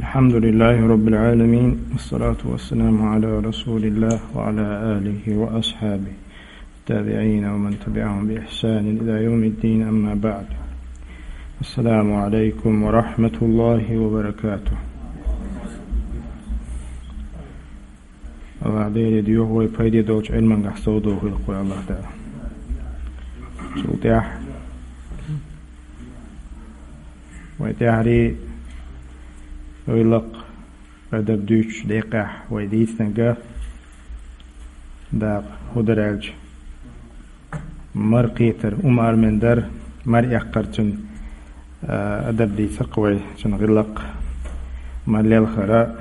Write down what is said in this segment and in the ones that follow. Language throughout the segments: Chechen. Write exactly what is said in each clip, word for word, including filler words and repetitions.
الحمد لله رب العالمين، والصلاة والسلام على رسول الله وعلى آله وأصحابه التابعين ومن تبعهم بإحسان إلى يوم الدين، أما بعد. السلام عليكم ورحمة الله وبركاته. Аллах Деле дуьхьа вай пайде долчу Ӏилмангахь совдохийла вай Аллах Дала. Цул тӀаьхьа вай тӀаьхьарий гӀиллакх, адаб дуьйцучу декъехь вай дийцинарг дакъа хӀун дара аьлча, мара кхетар, умар мен дар, мара эккхар цуьнан, а, адаб дийцира вай, цуьнан гӀиллакх, мара лелхара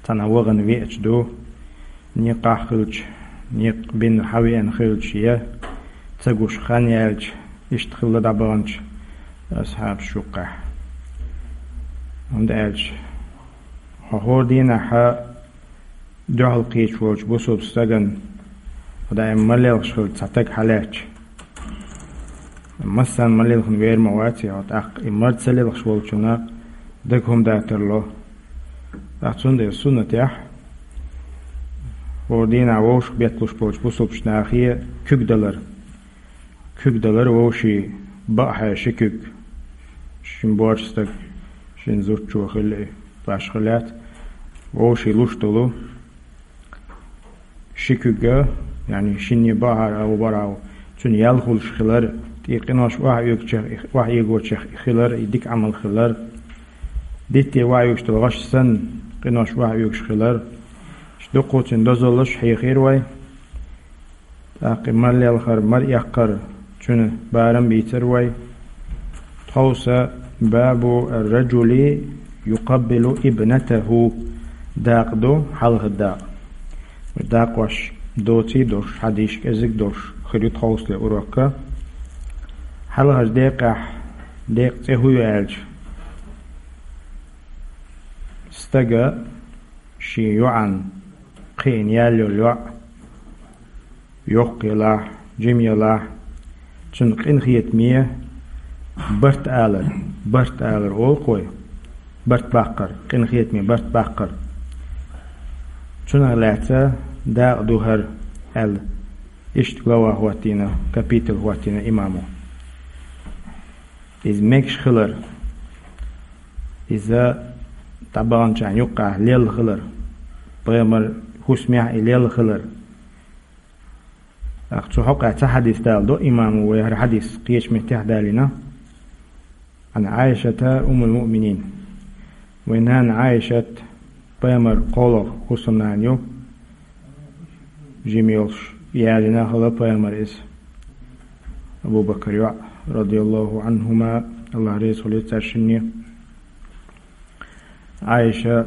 цхьана вахана веача ду, некъахь хилча, некъ бина хьавеана хилча я ца гуш хан яьлча, иштта хилла дӀабаханчу асхьабаш юккъехь. ХӀунда аьлча хьо хӀора дийнахьа дуьхьал кхеташ волчу бусулба стагана, хӀу даим мара лелхаш хилча цхьа стаг хьалаьцча, массарна мара лелхина вер ма вац и, тӀаккха и мара ца лелхаш волчунна дага хӀума датарло. ТӀаккха цундела суннатехь хӀора дийнахь вовшах бетталуш болчу бусулбачу нахе куьг далар. Куьг далар вовшийн баахьа ши куьг. Шин боьрша стаг, шин зудчо хилла и, башха лаьцна, вовшийн луш долу ши куьг, яъни шинне баахьара а, ву бара а, цуьнан ял хуьлуш хилар, тӀе къинош охьаоьгучех, охьаоьгучех хилар, и дика Ӏамал хилар, дитте охьаоьгуш долу гӀаш санна, къинош охьаоьгуш хилар, дуккха цуьнан дозаллаш хьехийра вай. ТӀаккха и мара лелхар, мара эккхар, цуьнан барам бийцира вай. Тховса бабу ар-раджули юкъаббилу ибнатаху дакъа ду, хьалхара дакъа. Дакъош доций долуш, хьадисаш кӀезиг долуш хир ю тховсале урокка. Хьалхарчу декъехь, декъа цӀе хӀун ю аьлча, стага шен йоӀан кхиъна яьлла йолу йоӀ, йоккха елахь, жима елахь, цуьнан къинхетаме барт алар, барт алар олу-кх вай, барт баккхар, къинхетаме барт баккхар. Цунах лаьцна дакъа ду хӀара аьлла, иштта глава хӀоттийна, капитал хӀоттийна имамо. Иза мегаш хилар, иза дӀабаханчарна юккъехь лелла хилар, пайхамар хӀусамехь и лелла хилар. ТӀаккха цу хьокъехь цхьа хьадис даладо имамо, вай хӀара хьадис кхечу меттехь далийна. Ан Ӏайшата уммул муъминин. Вайн нана Ӏайшат пайхамар кхоалгӀа хӀусамнана ю, жима йолуш ялийна хилла пайхамар иза. Абу Бакар йоӀ, радияллаху Ӏанхума, Аллах реза хуьлийла цаьршинна. Ӏайша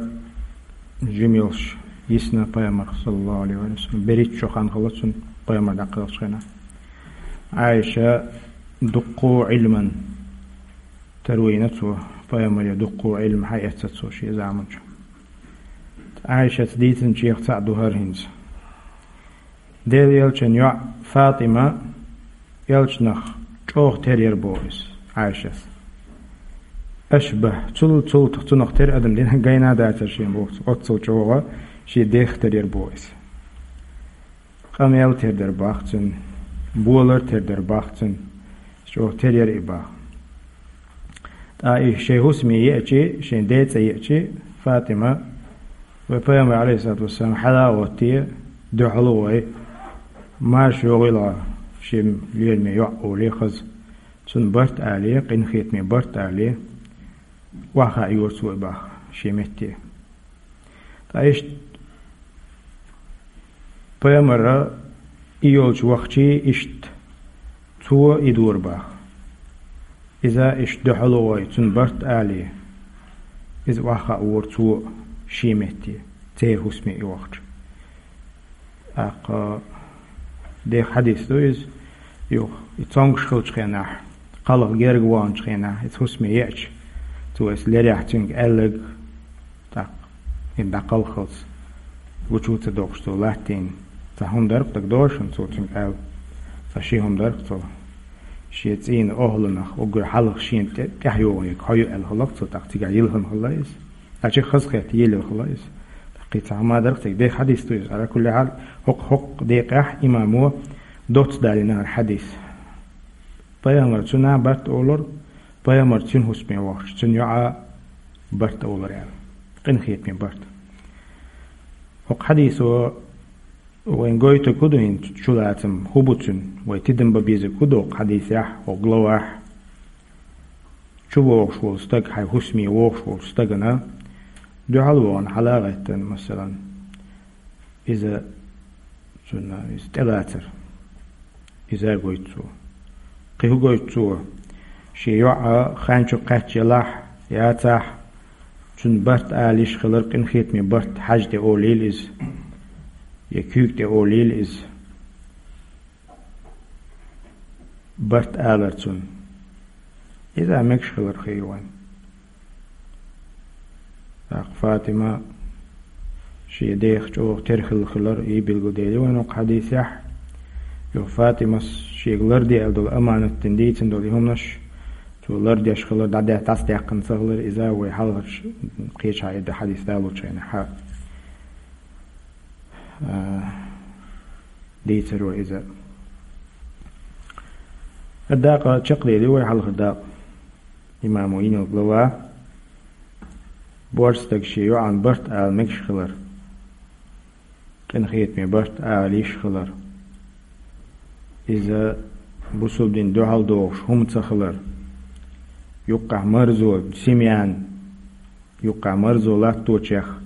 жима йолуш йисна пайхамар, саллаллаху алейхи ва саллям. БерхӀитта шо хан хилла цунна пайхамар дӀакхелхачу хенахь. Ӏайша дуккха Ӏилман таро йина цо, пайхамаре дуккха Ӏилма хьаэцна цо шен заманчохь. Ӏайшас дийцинчех цхьаъ ду хӀара хӀинца. Делан элчан йоӀ Фатима элчанах чӀогӀа тера яра боху иза, Ӏайшас. Ашбах, цул, цул цунах тера адам дина гайна а дацара шен боху, оццул чӀогӀа шен дех тера яра боху иза. Къамел тера дара боху цуьнан, болар тера дара боху цуьнан, чӀогӀа тера яра и боху. ТӀаккха и шайн хӀусаме еачи, шайн ден цӀе еачи, Фатима, вай пайхамар, алейхиссалату вассалам, хьала а гӀоттий, дуьхьал а гӀой, марша йогӀийла шен лераме йоӀ олий хаза, цунна барт алий, къинхетаме барт алий, охьахаа йора цо и боху шен метте. Ткъа иштта пайхамара и йолчу вахчий иштта цо и дора боху. Иза иштта дуьхьал а гӀой, цунна барт алий, иза охьахаа вора цо шен метте, церан хӀусаме и вахча. ТӀаккха дех хьадис ду иза, юха и цомгуш хилчу хенахь, кхалха герга ваханчу хенахь, иза хӀусаме еача, цо иза лерехь цуьнга аьлларг, тӀаккха, хӀинца дӀакхалхалц, гучу ца доккхуш цо латтийна. Цхьа хӀума дара-кх дагадогӀу шуна цо цуьнга аьлла. Цхьа ши хӀума дара-кх цо. Шен цӀийнан охӀланах уггар хьалха шена тӀе-, тӀаьхьа йогӀу ерг хьо ю аьлла хилла-кх цо, тӀаккха цигахь йилхина хилла иза. Ачи хазахет елил хала из. Кхи ца хӀама дарх цига дехьа хьадис ду из. Ала кулли хьал, хӀокху, хӀокху декъехь имамо доцца далийнера хьадис. Пайхамар цуьнан барт олур, пайхамар цуьнан хӀусаме вахча, цуьнан йоӀа барт олур аьлла. Къинхетаме барт. ХӀокху хьадисо вайн гойтург хӀун ду хӀинца чулацам, хӀун бу цуьнан, вай тидам бан безарг хӀун ду хӀокху хьадисехь, хӀокху главахь? Чу вогӀуш волу стаг, хьайн хӀусаме вогӀуш волчу стагана дуьхьал вахана хьала а гӀеттина, масалан, иза цунна иза тӀелацар. Иза а гойту цо. Кхин хӀун гойту цо? Шен йоӀ хан чу кхаьчча елахь, яцахь, цуьнан барт ала йиш хилар, къинхетаме барт, хьаьжа тӀе олийла иза, я куьйга тӀе олийла иза. Барт алар цунна. Иза мегаш хилар хир вайн. ТӀаккха Фатима шен дех чӀогӀа тера хилла хилар, и билгалдели вайн хӀокху хьадисехь. Юха Фатимас шега ларде аьлла долу аманат дина дийцина долу и хӀуманаш, цо лардеш хилар, дӀадаьхна, дӀасадаьккхина ца хилар, иза вай хьалхарчу кхечахьа и хьадис далочу хенахь, а, дийцаро иза. ХӀара дакъа чекхдели вай хьалхара дакъа. Имамо йинарг лава, боьрша стаг шен йоӀан барт ала мегаш хилар, къинхетаме барт ала йиш хилар. Иза бусулба дин дуьхьал догӀуш хӀума ца хилар, юккъехь марзо, семьян юккъехь марзо латточех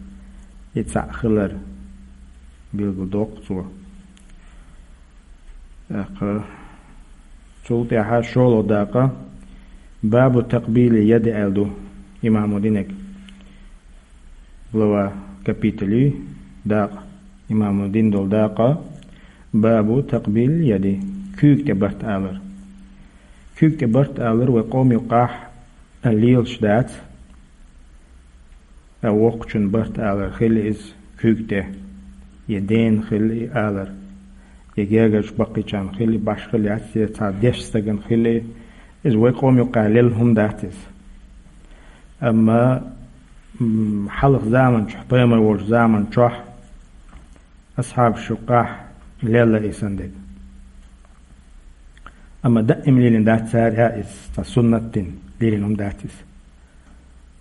и цхьаъ хилар билгалдоккху цо. ТӀаккха цул тӀаьхьа шолгӀа дакъа, бабу такъбили яди аьлла ду имамо динарг. Глава, капитали дакъа, имамо дина долу дакъа, бабу такъбили яди, куьйга тӀе барт алар. Куьйга тӀе барт алар вай къоман юккъехь лелаш дац. Ткъа воккхачун барт алар хилла иза куьйга тӀе, я дена хилла и алар, я гергарчу баккхийчарна хилла и, башхалла яц, я цхьа дешна стагана хилла и. Иза вай къоман юккъехь лелла хӀума дац иза. Амма, м, хьалха заман чохь, пайхамар волчу заман чохь, асхьабаш юккъехь лелла и сан дерг. Амма даим лелийна дац цара а иза, цхьа суннат дина лелийна хӀума дац иза.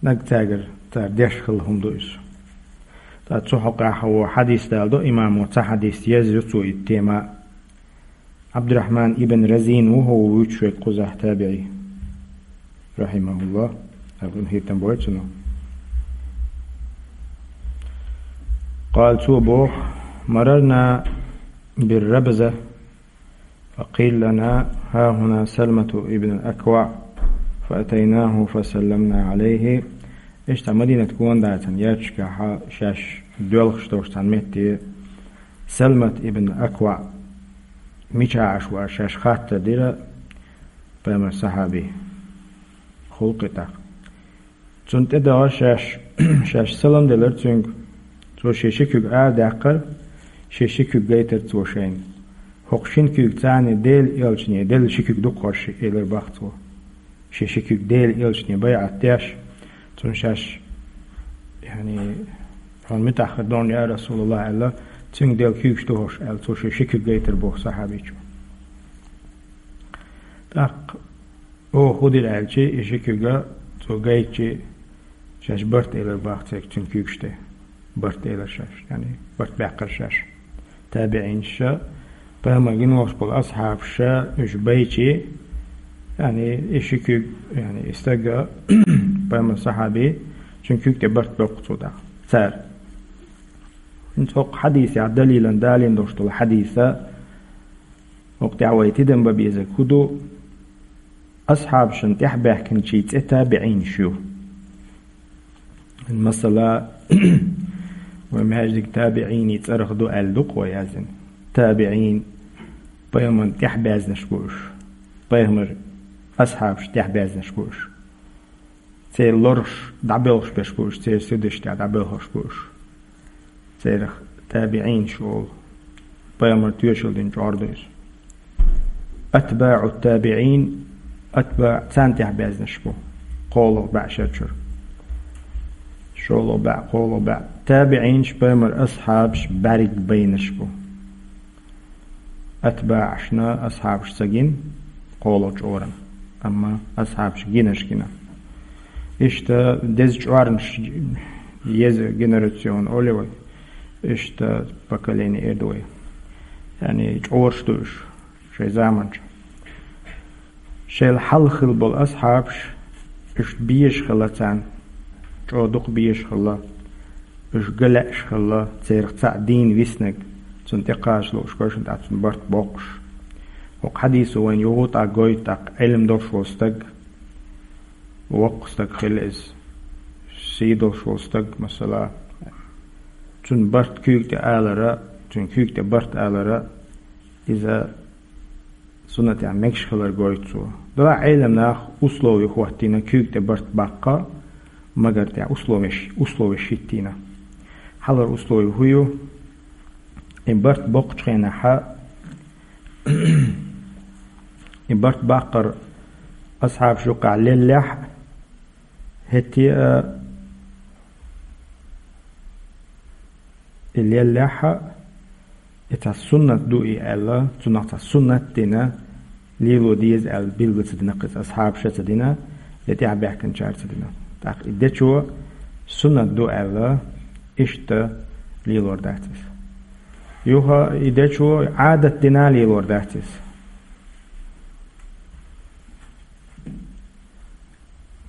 Нагахь цаьргара цара деш хилла хӀума ду иза. Ткъа цу хьокъехь ву хьадис даладо имамо, цхьа хьадис еза ю цо и тема. Абдурахьман ибн Разин ву хӀу вуьйцуш верг кхузахь табиӀи, рахьимахуллах, Аллах хӀинтам бойла цунах. Къала, цо боху: «Марарна бир-Рабза, фа къила лана хьахьуна Салмату ибн ал-АкваӀ, фа атайнахьу, фа салламна Ӏалайхьи». Иштта Мадинат гонадацарна ярташкахь шаьш доьлхуш долуш цхьана метте Салмат ибн АкваӀ мичахь Ӏаш ву аьлла шаьш хаттар дира пайхамаран сахьабий, хӀуллакх и тӀаккха. Цунна тӀедогӀа шаьш, шаьш салам делира цуьнга. Цо шен ши куьг арадаьккхира, шен ши куьг гайтира цо шайна. ХӀокху шина куьйгаца Делан элчане делла ши куьг ду-кх хӀорш, элира боху цо. Шен ши куьг Делан элчане байӀат деш, цунна шаьш, яъни, хьуна муьтӀахь хир ду хьуна, я РасулаллахӀ, аьлла, цуьнга делла куьйгаш ду хӀорш аьлла, цо шен ши куьг гайтира боху сахьабичо. ТӀаккха оха хӀун дира аьлча, и ши куьг цо гайтча, шаьш барт элира боху церг цуьнан куьйгаш тӀе. Барт элира шаьш, яъни барт баьккхира шаьш. ТабиӀинаш, пайхамар гина волуш болу асхьабаш, уьш байча, яъни и ши куьг, яъни и стаг, пайхамаран сахьаби, цуьнан куьйга тӀе барт боккху цо тӀаккха цара. ХӀинца хӀокху хьадисехь далилан далийна долуш долу хьадиса, хӀокху тӀехь вай тидам бан безарг хӀун ду? Асхьабашна тӀаьхьабаьхкинчийн цӀе табиӀинаш ю. Масала, вай маьждиг табиӀинийн цӀарах ду аьлла ду-кх вай яздина. ТабиӀин, пайхамарна тӀаьхьабаьзнаш бу уьш. Пайхамар асхьабашна тӀаьхьабаьзнаш бу уьш. Церан лораш дӀабоьлхуш берш бу уьш, церан сирдаш тӀехь дӀабоьлхуш бу уьш. Церах табиӀинаш олу. Пайхамар тоьшалла дина чкъор ду иза. АтбаӀу табиӀин, атбаӀ царна тӀаьхьабаьзнаш бу. КхоалгӀа бӀешерчуьра. ШолгӀа бӀаь, кхоалгӀа бӀаь. ТабиӀинаш, пайхамара асхьабаш бӀарг байнараш бу. АтбаӀашна асхьабаш ца гина, кхоалгӀача чкъурана, амма асхьабаш гинараш гина. Иштта деза чкъурнаш, еза генерацион олий вай, иштта поколение эр ду вай. Яъни чкъураш ду уж шоай заман чу. Шоайла хьалха хилла бола асхьабаш, уьш безаш хилла царна, чӀогӀа дукха безаш хилла, уьш галаьаш хилла, царех цхьаъ дийна виснарг, цунна тӀекхача лууш, кхоашта тӀа цунна барт боккхуш. ХӀокху хьадисо вайна юха а тӀаккха гойту, тӀаккха Ӏилма долуш волу стаг, воккха стаг хилла иза, сий долуш волу стаг, масала, цунна барт куьйга тӀе алара, цуьнан куьйга тӀе барт алара, иза суннатехь мегаш хилар гойту цо. Делахь Ӏеламнаха условий хӀоттийна куьйга тӀе барт баккха, магар тӀехь условеш, условеш хӀиттийна. Хьалхара условий хӀун ю? И барт боккхучу хенахьа, и барт баккхар асхьабаш юккъехь леллехь а, хӀетте а, и леллехь а, и цхьа суннат ду и аьлла, цунах цхьа суннат дина, лело деза аьлла билгал ца дина кхуза, асхьабаша ца дина, я тӀаьхьабаьхкинчара ца дина. ТӀаккха и дечо суннат ду аьлла, иштта лелор дац иза. Юха и дечо Ӏадат дина лелор дац иза.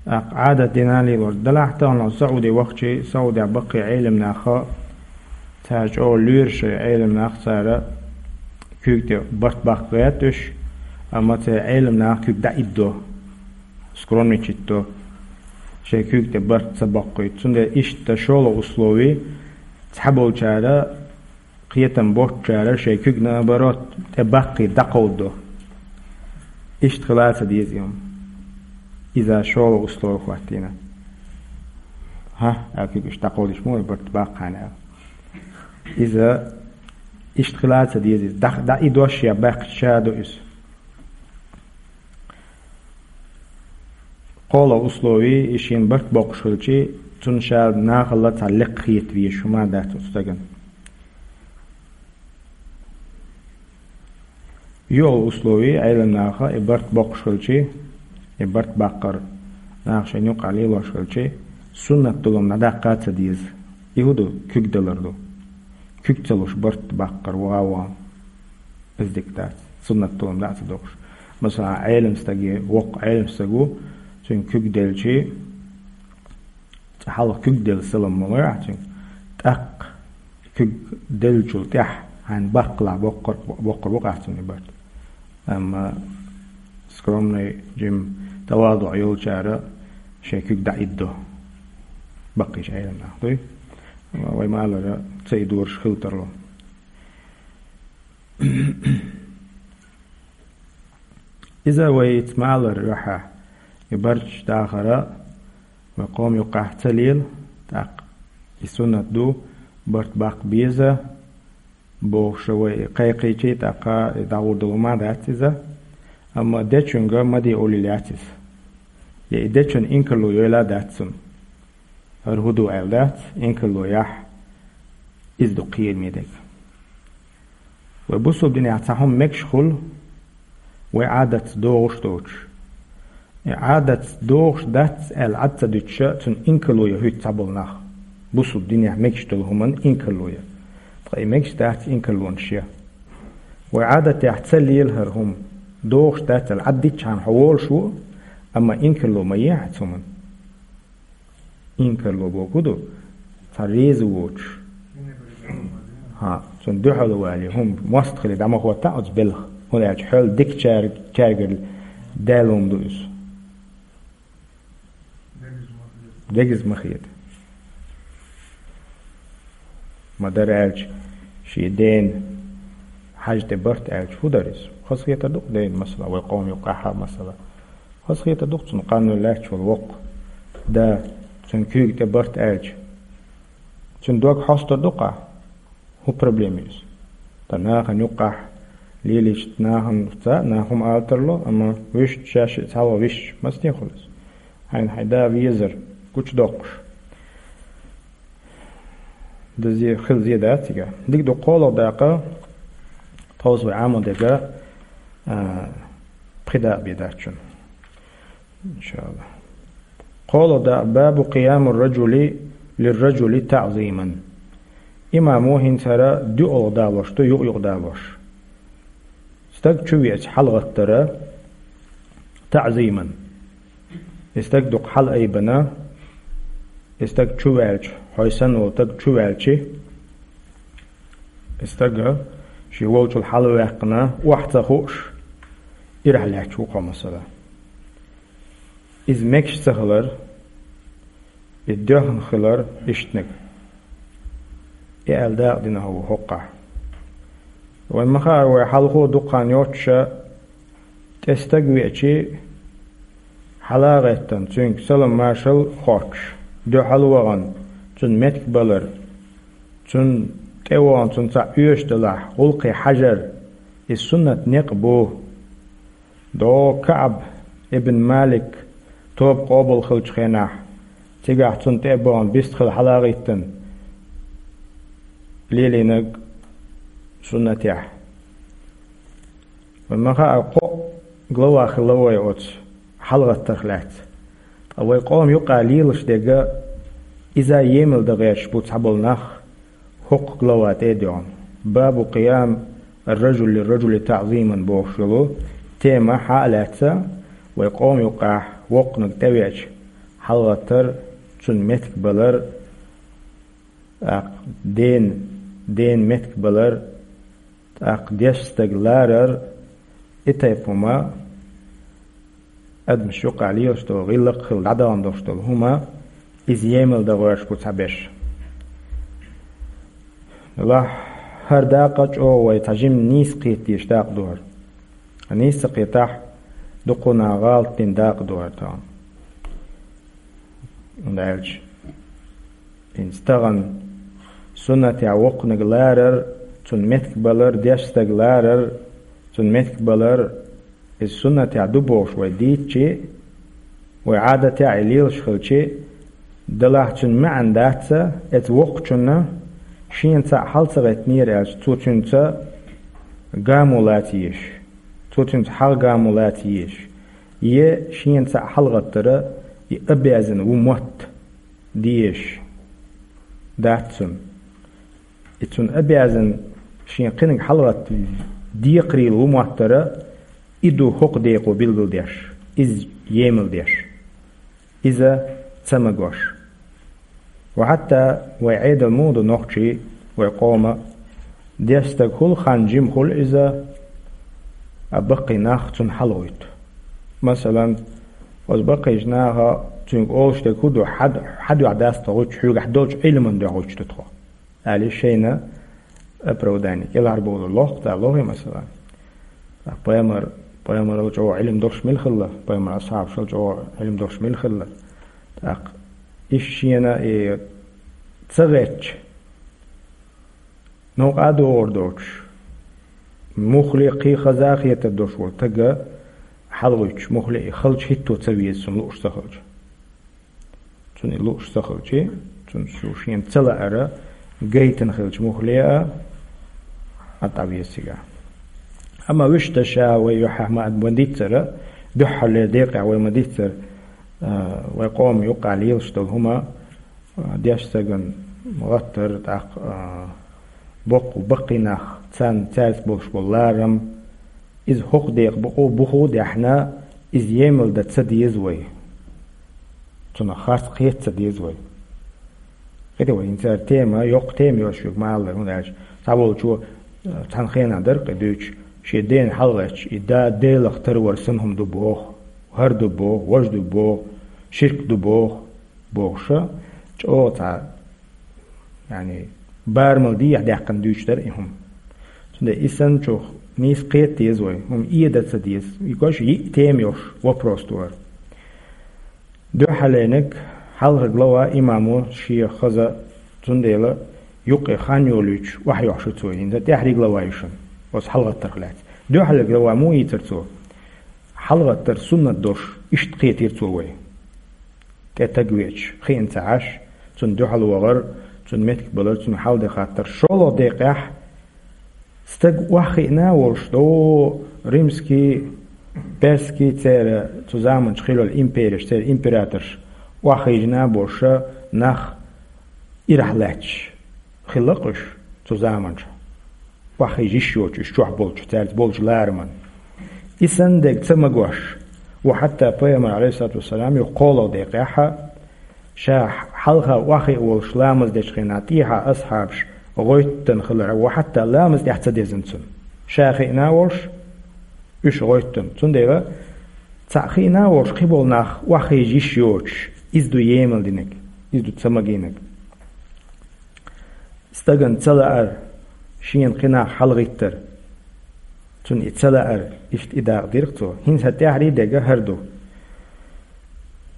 ТӀаккха Ӏадат дина лелор. Делахь тахана Сауди вахчи, Саудехь баккхий Ӏеламнаха, цара чӀогӀа лоьру шайн Ӏеламнах, цара куьйга тӀе барт баккха гӀерта уьш, амма церан Ӏеламнаха куьг дӀаиддо, скромничать до, шайн куьйга тӀе барт ца боккхуьйту. Цундела иштта шолгӀа условий, цхьаболчара кхетам боцучара шайн куьг, наоборот, тӀе баккхий дӀакховдадо. Иштта хила ца деза и хӀума. Иза шолгӀа условий хӀоттийна. ХӀа, аьлла куьг иштта дӀакховдийча ма вай барт баккхахьана аьлла. Иза иштта хила ца деза иза. ДӀа-, дӀаиддош я баьккхича ша ду иза. КхоалгӀа условий, и шена барт боккхуш хилчи, цунна ша нахала цхьа лекха хета везаш хӀума дац оцу стагана. ЙоьалгӀа условий, Ӏеламнаха и барт боккхуш хилчи, и барт баккхар наха шайна юккъехь лелош хилчи, суннат долу хӀума дӀадаккха а ца деза. И хӀун ду? Куьг далар ду. Куьг ца луш барт баккхар вогӀа а вогӀу. Иза дика дац. Суннат долу хӀума дӀа а ца доккхуш. Масала, Ӏелам стаге, воккха Ӏелам стаг ву, цуьнан куьг делчи, цкъа хьалха куьг делла салам ма лой ахь цуьнга. ТӀаккха куьг деллачул тӀаьхьа хьайна баккхалахь боккхар, боккхар бу-кх ахь цунна и барт. Амма скромный, жима тавазуӀ йолчара шайн куьг дӀаиддо. Баккхийчу Ӏеламнах дуй. Вай ма-аллара, ца идораш хила тарло. Иза вай ица ма-аллара юьхьа, и барт дахара вай къоман юккъехь ца лела, тӀаккха и суннат ду, барт баккха беза, бохуш вай кхайкхийчи, тӀаккха и дӀагӀур долу ма дац иза. Амма дечуьнга ма де олийла яц иза. Я и дечун инкарло йойла а дац цунна. ХӀара хӀун ду аьлла дац, инкарло яхь, иза ду кхераме дерг. Вай бусулба динехь цхьа хӀума мегаш хуьлу, вай Ӏадатца догӀуш доцуш. И Ӏадатца догӀуш дац аьлла Ӏад ца дуьтуша, цунна инкарло ян хӀуьтту цхьаболу нах. Бусулба динехь мегаш долу хӀуманна инкарло ян. Ткъа и мегаш дац инкарлонаш ян. Вай Ӏадатехь ца лела хӀара хӀума, догӀуш дац аьлла Ӏад дитчхьана хьо волуш ву, амма инкарло ма е хьан цу хӀуманна. Инкарло боху ду, цхьа реза воцуш. ХӀа, цунна дуьхьал вале, хӀума мостагӀалла дӀа ма хӀоттахь оцу белха, хӀунда аьлча хьол дика чар-, чаргал даьлла хӀума ду иза. Дегаза ма хета. Ма дара аьлча, шен дена хьаьжа тӀе барт аьлча, хӀун дара иза? Хазахетар ду-кх дена, масала, вай къоман юккъехь а, масала. Хазахетар ду-кх цунна къанвелла лаьтташ волу воккха да, цуьнан куьйга тӀе барт аьлча. Цуьнан дог хьостур ду-кх ахь? ХӀун проблема ю иза? Ткъа нахана юккъехь лелийча нахана ца, нах хӀума ала тарло, амма вуьшта шаьш а цхьалха висча, мастехула иза? Хьайна хьайн да везар гучудоккхуш. Даза хила зе дац цига. Дика ду кхоалгӀа дакъа, тховса вай Ӏамал дерг, а, пхи дакъа бе дац шун. ИншаАллахӀ. КхоалгӀа дакъа: باب قيام الرجل للرجل تعظيما. Имамо хӀинца хӀара дуалгӀа далош ду, юкъ-юкъ далош. Стаг чу веача хьалгӀаттар, تعظيما. И стаг дукха хьалаайбина, и стаг чу ваьлча, хьой санна вола стаг чу ваьлча, и стаг ший волчул хьалваьккхина, охьа ца хууш, ирахь лаьтташ ва кхо, масала. Иза мегаш ца хилар, и доьхна хилар иштаниг. И аьлла дакъа дина хьо ву хӀокхахь. Вайна ма хаара, вай хьалхо дукха хан йоццуш, тӀе стаг веача, хьала а гӀеттина, цуьнга салам-маршал хоттуш, дуьхьал вахана, цунна меттиг балар, цунна тӀе а вахана, цунна цхьаъ оьшуш далахь, гӀуллакхе хьажар, иза суннат некъ бу. ДогӀу КаӀб ибн Малик тоба къобал хилча хенахь, цигахь цунна тӀе а бахана, бистхила хьала а гӀеттина, лелийнарг суннатехь. Вайна ма хаара, кхо глава хилла вай оцу хьалагӀаттарх лаьцна. Ткъа вай къоман юкъахь лелаш дерг, иза емал дан гӀерташ бу цхьаболу нах, хӀокху глава тӀе а доьгӀна. باب قيام الرجل للرجل تعظيما бохуш йолу тема хьа а лаьцна, вай къоман юкъахь воккханиг тӀевеача, хьалагӀаттар, цунна меттиг балар, тӀаккха ден, ден меттиг балар, тӀаккха дешна стаг ларар, и тайпа хӀума, адамаш юкъахь лелаш долу, гӀиллакх а хилла дӀадахана долуш долу хӀума, иза емал дан гӀерташ бу цхьаберш. Делахь, хӀара дакъа чӀогӀа вай цхьа жимма нийса кхета дезаш дакъа ду хӀара. Нийса ца кхетахь, дукха нах гӀалат дина дакъа ду хӀара тахана. ХӀунда аьлча хӀинца тахана суннатехь воккханиг ларар, цунна меттиг балар, дешна стаг ларар, цунна меттиг балар, иза суннатехь ду бохуш вай дийцчи, вай Ӏадатехь и лелаш хилчи, делахь цуьнан маьӀна дац, эцу воккхачунна шена цхьаъ хьал ца гӀеттинера аьлча, цо цуьнца гамо лаца езаш, цо цуьнца хьагӀ гамо лаца езаш, е шена цхьаъ хьалагӀаттара и обязан ву мотт дезаш дац цунна. И цунна обязан шен кхиниг хьалагӀатта декхарийла ву моттара, и ду хӀокху декъо билгалдеш, иза емал деш, иза ца магош. Ва хьатта вай Ӏедал муха ду нохчий, вай къома, дешна стаг хуьлу, хан жима хуьлу иза, а баккхий нах цунна хьалагӀойту. Масалан, оцу баккхийчу наха цуьнга олуш дерг хӀун ду, хьад-, хьан дуьхьа дац тхо гӀуьттуш, хьоьгахь долчу Ӏилман дуьхьа гӀуьттуш ду тхо. Аьлла шайна оправдание кӀелхьарбовлар лохку, цара лохий, масала. ТӀаккха пайхамар, пайхамарал чӀогӀа Ӏилма долуш мила хилла, пайхамар асхьабашал чӀогӀа Ӏилма долуш мила хилла. ТӀаккха иштта шена и ца гӀетташ, новкъа а догӀур доцуш, муххале кхин хаза а хетар долуш волу стага хьалагӀуьттуш, муххале и халча хӀитто ца веза цунна лууш ца хилча. Цунна и лууш ца хилчи, цунна шу шена ца лаара гайтина хилча муххале а, а тӀавеза цигахь. Амма вуьшта ша вай юьхьехь ма-, ма диццара, дуьххьарлера декъехь вай ма диццара, а, вай къоман юкъахь лелаш долу хӀума, а, дешна стагана гӀаттар, тӀаккха, а, боккха баккхий нах, царна, цаьрца болуш болу ларам, иза хӀокху декъа бу-, буху а даьхьна, иза емал дан ца деза вай. Цунах харц кхета ца деза вай. ХӀета вай хӀинца тема, йоккха тема йолуш юьгу ма-аллара, хӀунда аьлча цхьаволчо, э, цхьана хенахь дара кхин дуьйцуш, шен дена хьалагӀаьттича, и да Делах тарвар санна хӀума ду боху, хӀара ду боху, важа ду боху, ширк ду боху, бохуша, чӀогӀа цхьа, яъни, барамал дехьа даьккхина дуьйцуш дара и хӀума. Цундела и санначух нийса кхета деза вай, хӀума эда ца деза. И гош йиъ тема йолуш вопрос ду хӀара. Дуьххьарлерниг хьалха глава имамо шен хаза, цундела юккъе хан йолуьйтуш охьайохьуш ю цо, хӀинца тӀаьхьарий глава ю шуна, оцу хьалагӀаттарх лаьцна. Дуьххьарлера глава муха йийцара цо? ХьалагӀаттар суннат долуш иштта кхетийра цо вай. ТӀе стаг веача, хиъна ца Ӏаш, цунна дуьхьал вахар, Цун меттиг балар, цунна хьал де хаттар. ШоллагӀа декъехь стаг охьахиъна а волуш, до римский, персский церан цу заманчу хилла империяш, церан императорш охьахиъна а болуш, нах ирахь лаьтташ хилла-кх уьш цу заманчохь. Охьахиъна йиш йоцуш уьш чохь болчу, цаьрца болчу лараман. И санна дерг ца магош, ва хьатта пайхамар, алейхиссалату вассалам, юха кхоалгӀа декъехь, ша хьалха охьахиъна волуш ламаз дечу хенахь тӀехьа асхьабаш гӀоьттина хилар, ва хьатта ламаз тӀехь ца дезна цунна. Ша хиъна а волуш, уьш гӀоьттина. Цундела цхьаъ хиъна а волуш, кхин болу нах охьахиъна йиш йоцуш, иза ду емал динарг, иза ду ца магийнарг. Стагана ца лаар, шена кхин нах хьалагӀиттар. Цунна и ца лаар, иштта и дакъа дира-кх цо. ХӀинца тӀаьххьара дерг хӀара ду.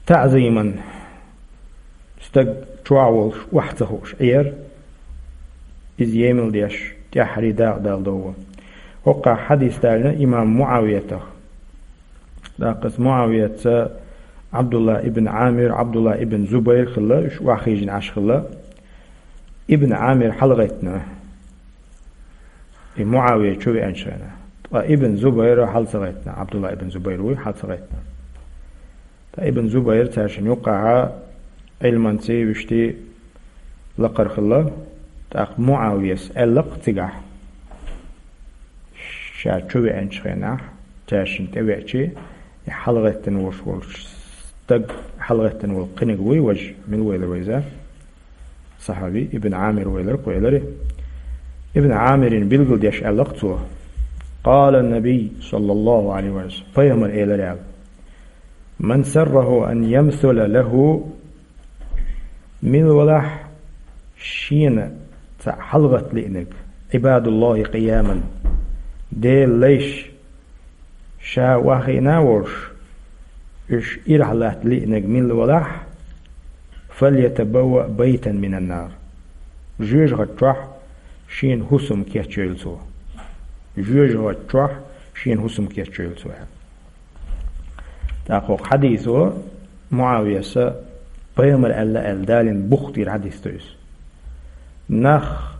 ТаӀзиман стаг чохь а волуш, охьа ца хууш Ӏер, иза емал деш, тӀаьххьара дакъа далдо. ХӀокхахь хьадис далийна имам МуӀавиятах. ТӀаккха иза МуӀавияца Ӏабдулла ибн Ӏамир, Ӏабдулла ибн Зубайр хилла, уьш охьахиъна Ӏаш хилла. Ибн Ӏамир хьалагӀеттина, и МуӀавия чу веанчу хенахь. Ткъа ибн Зубайр хьала ца гӀеттина, Ӏабдулла ибн Зубайр вуй, хьала ца гӀеттина. Ткъа ибн Зубайр цаьршинна юккъехь Ӏилманций, вуьшта лакхара хилла, тӀаккха МуӀавияс аьлла-кх цигахь, ша чу веанчу хенахь, цаьршинна тӀевеача, и хьалагӀеттина волуш волчу стаг, хьалагӀеттина волу кхиниг вуй важа, мила ву элира вай иза? Сахьаби, Ибн Ӏамир ву элира-кх вай, элира. Ибн Ӏамирна билгалдеш аьлла-кх цо: «Къала Наби, саллаллаху Ӏалайхи ва саллам», пайхамар элира аьлла: «Ман сарраху ан ямсула лаху», мила валахь шена цхьаъ хьалагӀатта лиънарг, Ӏибадуллахи къияман, Делан лайш, ша охьахиъна а волуш, уьш ирахь латта лиънарг мила валахь, «фальятабавва байтан минан нар», жоьжахати чохь шена хӀусам кечйойла цо. Жоьжахати чохь шена хӀусам кечйойла цо аьлла. ТӀаккха хӀокху хьадисо МуӀавияса пайхамар аьлла аьлла далийна бух тӀера хьадис ду иза. Нах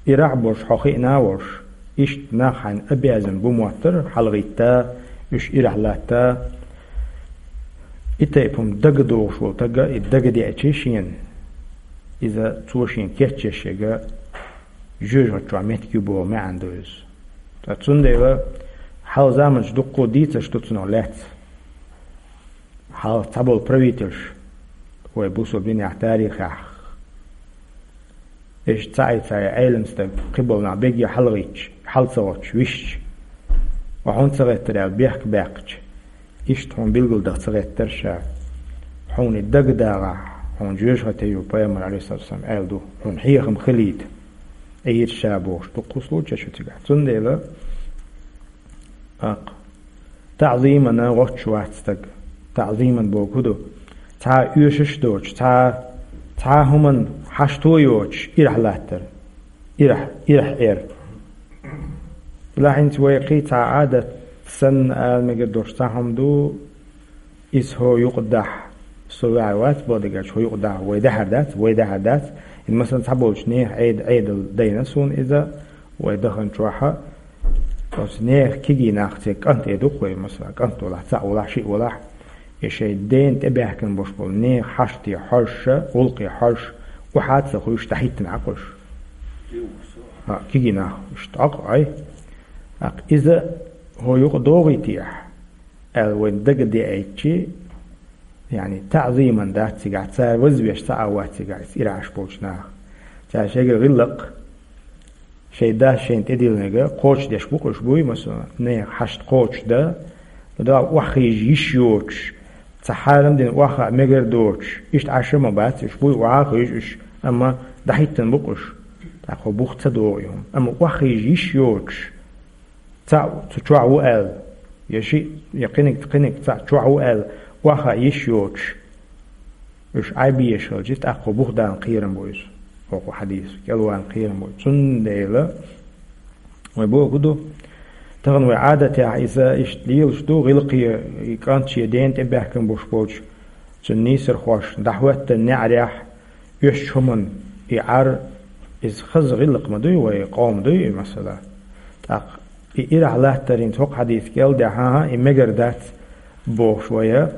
ирахь болуш хьо хиъна а волуш, иштта нах хьайна обязан бу моттара, хьалагӀитта, уьш ирахь латта, и тайпа хӀума дага догӀуш волу стага, и дага деача шена, иза цо шена кечъеш ерг жоьжахати чохь меттиг ю боху маьӀна ду иза. Ткъа цундела хьалха заманчу дуккха а дийцарш ду цунах лаьцна. Хьалха цхьаболу правительш вай бусалба динехь, тарихехь, иштта цхьа а, цхьа а Ӏелам стаг, кхиболу нах берриге хьалагӀиттича, хьала ца гӀоттуш висча, ва хьуна ца гӀеттара аьлла бехк баьккхича, иштта хьуна билгалдаха ца гӀеттара ша. Хьуна и дага дагӀахь, хьуна жоьжахати ю, пайхамар, алейхиссалату вассалам, аьлла ду, хьуна хьехам хилийта, Ӏийра ша бохуш, дуккха а случай ю цигахь. Цундела, аккха, таӀзимана гӀоттуш вац стаг. ТаӀзиман бохург хӀун ду? Цхьа а оьшуш а доцуш, цхьа, цхьа а хӀуманна хьашто а йоцуш, ирахь латтар. Ирахь, ирахь эр. Делахь хӀинца вай кхин цхьа Ӏадат санна ала мегар долуш цхьа хӀума ду, иза хӀокху юкъа дахьа, со ваьхьа вац боху дагахь, хӀокху юкъа дахьа, вай даьхьар дац, вай даьхьар дац. ХӀинца, масала, цхьаболчу нехан Ӏед-, Ӏедал дайна суна иза, вай даханчохь, оцу нехан кегий нах, церан кӀант эр ду-кх вай, масала, кӀант валахь, цхьаъ валахь, шиъ валахь, и шайн дена тӀебаьхкина болуш болу нехан хьаште хьожуш, гӀуллакхе хьожуш, охьа а ца хуьйш, дӀахӀиттина Ӏа кхуьш. А, кегий нах, уьш тӀаккха, ай. ТӀаккха иза хӀокху юкъа догӀуьйтехь, аьлла, вайна дага деайчи, яъни, таӀзиман дац цигахь, цара вазвеш цхьа а вац цигахь, иза ирахь болчу наха. Цара шайгара гӀиллакх, шайн дас шайна тӀедиллинарг кхочушдеш бу-кх уьш, буй, масала, нехан хьашт кхочушдан, но дагахь охьахиъна йиш йоцуш, цхьа хьарам дина охьахаа мегар доцуш, иштта Ӏаш а ма бац уьш, буй, охьа а хиъна уьш, амма дӀахӀиттина бу-кх уьш. ТӀаккха хӀокху бух ца догӀу и хӀума. Амма охьахиъна йиш йоцуш, цхьаъ цу чохь ву аьлла, я шиъ, я кхиниг, кхиниг цхьаъ чохь ву аьлла, охьахаа йиш йоцуш, уьш Ӏай безаш хилча, тӀаккха хӀокху бух дала кхерам бу иза. ХӀокху хьадисо кӀелвала кхерам бу. Цундела вай бохург хӀун ду? Тахана вай Ӏадатехь иза иштта лелаш ду, гӀиллакхе и кӀант шен дена тӀебаьхкина болуш болчу цуьнан нийсархошна дӀахӀоьттина неӀарехь, оьшучу хӀуманна И Ӏар, иза хаза гӀиллакх ма дуй вай, къам дуй, масала. ТӀаккха и ирахь латтар хӀинца хӀокху хьадис кӀел дехьа, хӀа, и мегар дац бохуш вай, а,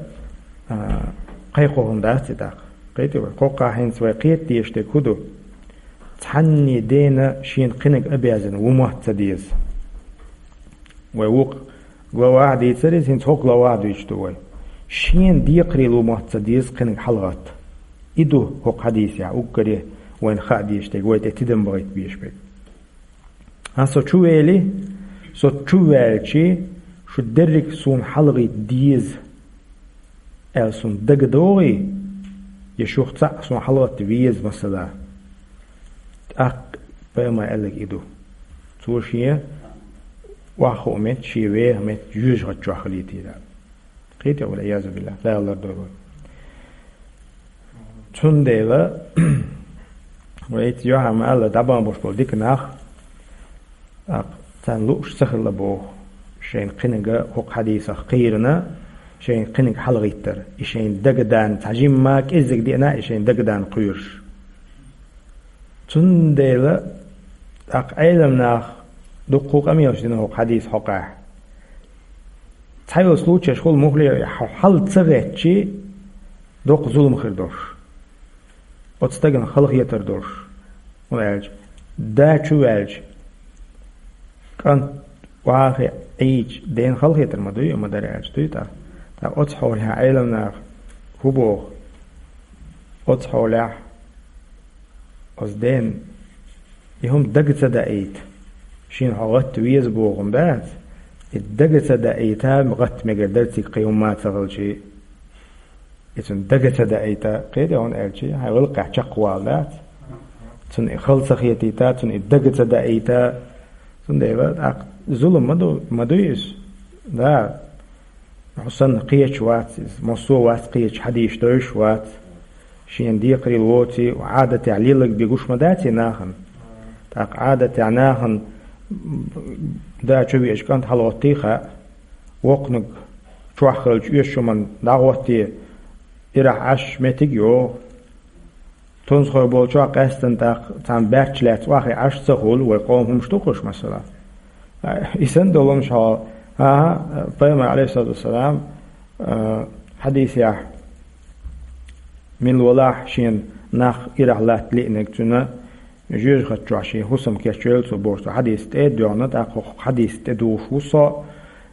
кхайкхо хӀума дац и тӀаккха. Кхетий вай? Кхоккхахь хӀинца вай кхета дезаш дерг хӀун ду? Цхьанне дена шена кхиниг обязан ву мотт ца деза. Вай вукху главахь дийцар иза, хӀинца хӀокху главахь дуьйцуш ду вай. Шена декхарийлахь ву мотт ца деза кхиниг хьалагӀатта. И ду хӀокху хьадисехь уггаре вайна хаа дезаш дерг, вай тӀе тидам бахийта безаш берг. Ткъа со чу вели, со чу ваьлчи, шу дерриг суна хьалагӀитта деза аьлла суна дага догӀий, я шух цхьаъ суна хьалагӀатта веза, масала. ТӀаккха пайхамар аьлларг и ду. Цо шен охьахуу меттиг, шен веха меттиг жоьжахати чохь хилийтийла. Кхетий вай, валъиязу биллахӀ, Дала лардойла вай. Цундела, вай эцу юьхьа ма-аллара, дӀабахана болуш болу дика нах, тӀаккха царна лууш ца хилла боху, шайна кхиниг хӀокху хьадисах кхийрина, шайна кхиниг хьалагӀиттар, и шайна дагадан, цхьа жимма кӀеззиг деана, и шайна дагадан кхоьруш. Цундела тӀаккха Ӏелам наха дуккха къамелаш дина хӀокху хьадис хьокъехь. Цхьайолу случайш хуьлу муххале а, хьо хьал ца гӀеттачи, доккха зулам хир долуш. Оцу стагана халахетар долуш. ХӀунда аьлча, да чу ваьлча, кӀант охьахиъча, Ӏийча, дена халахетар ма дуй, ма дара аьлча, дуй тӀаккха. ТӀаккха оцу хьолехь Ӏелам наха хӀун боху? Оцу хьолехь оцу дена и хӀума дага ца даийта, шена хьо гӀатта веза боху хӀума дац, и дага ца даийта, гӀатта мегар дара цига кхин хӀумма а ца хилчи. И цунна дага ца даийта, кхетий, хӀунда аьлча, хьайн гӀиллакхехь чекхвала дац. Цунна и хала ца хетийта, цунна и дага ца даийта. Цундела тӀаккха зулам ма ду, ма дуй иза. Да, хьо санна кхеташ вац иза, массо а вац кхеташ, хьадисаш девзаш вац. Шена декхарийлахь воций, Ӏадатехь леларг бен гуш ма дац и нахана. ТӀаккха Ӏадатехь нахана да чу веача кӀант хьалагӀоттий хаьа. Воккханиг чохь хилча оьшучу хӀуманна дӀагӀоттий, ирахь Ӏаш меттиг йогӀу. Тунсхой болчохь къаьстина тӀаккха цхьана баьрчча лаьцна охьахиъна Ӏаш ца хуьлу, вай къоман хӀумаш ду-кх уьш, масала. И санна долу хӀумаш хьо, ахьа, пайхамар, Ӏалайхиссалату вассалам, а, хьадисехь, мила валахь шена нах ирахь латта лиънарг, цуьнан жоьжахати чохь шен хӀусам кечвелла цо бохуш цо хьадис тӀе а доьгӀна, тӀаккха хӀокху хьадис тӀе духуш ву со,